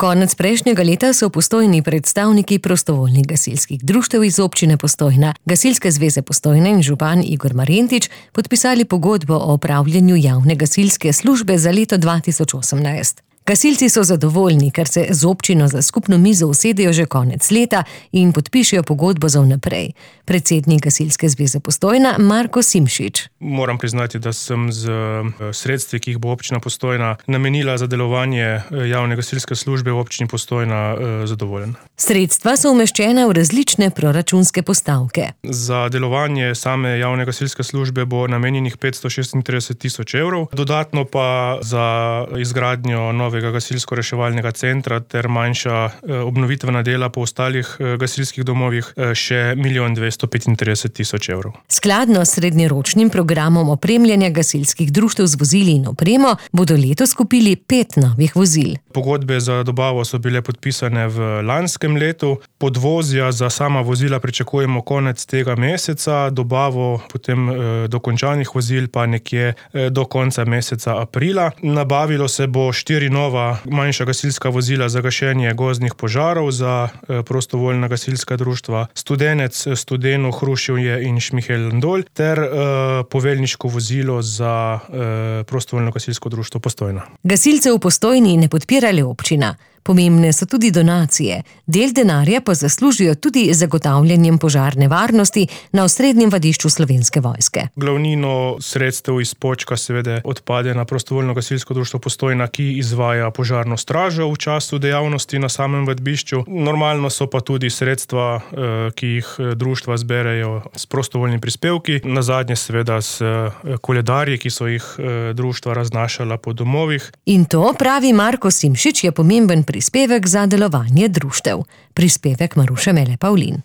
Konec prejšnjega leta so v Postojni predstavniki prostovoljnih gasilskih društev iz občine Postojna, Gasilske zveze Postojna in župan Igor Marjentič podpisali pogodbo o opravljanju javne gasilske službe za leto 2018. Gasilci so zadovoljni, ker se z občino za skupno mizo usedejo že konec leta in podpišejo pogodbo za vnaprej. Predsednik Gasilske zveze Postojna Marko Simšič. Moram priznati, da sem z sredstvi, ki jih bo občina Postojna namenila za delovanje javne gasilske službe v občini Postojna, zadovoljen. Sredstva so umeščena v različne proračunske postavke. Za delovanje same javne gasilske službe bo namenjenih 536 000 evrov, dodatno pa za izgradnjo novega gasilsko-reševalnega centra ter manjša obnovitvena dela po ostalih gasilskih domovih še 1 235 000 evrov. Skladno s srednjeročnim programom opremljanja gasilskih društev z vozili in opremo bodo letos kupili 5 novih vozil. Pogodbe za dobavo so bile podpisane v lanskem letu. Podvozja za sama vozila pričakujemo konec tega meseca, dobavo potem dokončanih vozil pa nekje do konca meseca aprila. Nabavilo se bo 4 nova manjša gasilska vozila za gašenje gozdnih požarov za prostovoljna gasilska društva Studenec, Studeno, Hruševje in Šmihelj-Ndolj ter poveljniško vozilo za prostovoljno gasilsko društvo Postojna. Gasilcev v Postojni ne podpira le občina. Pomembne so tudi donacije. Del denarja pa zaslužijo tudi zagotavljanjem požarne varnosti na osrednjem vadišču Slovenske vojske. Glavnino sredstev iz počka seveda odpade na prostovoljno gasilsko društvo Postojna, ki izvaja požarno stražo v času dejavnosti na samem vadišču. Normalno so pa tudi sredstva, ki jih društva zberejo s prostovoljnimi prispevki. Nazadnje seveda s koledarji, ki so jih društva raznašala po domovih. In to, pravi Marko Simšič, je pomemben prispevek za delovanje društev. Prispevek Maruše Mele Pavlin.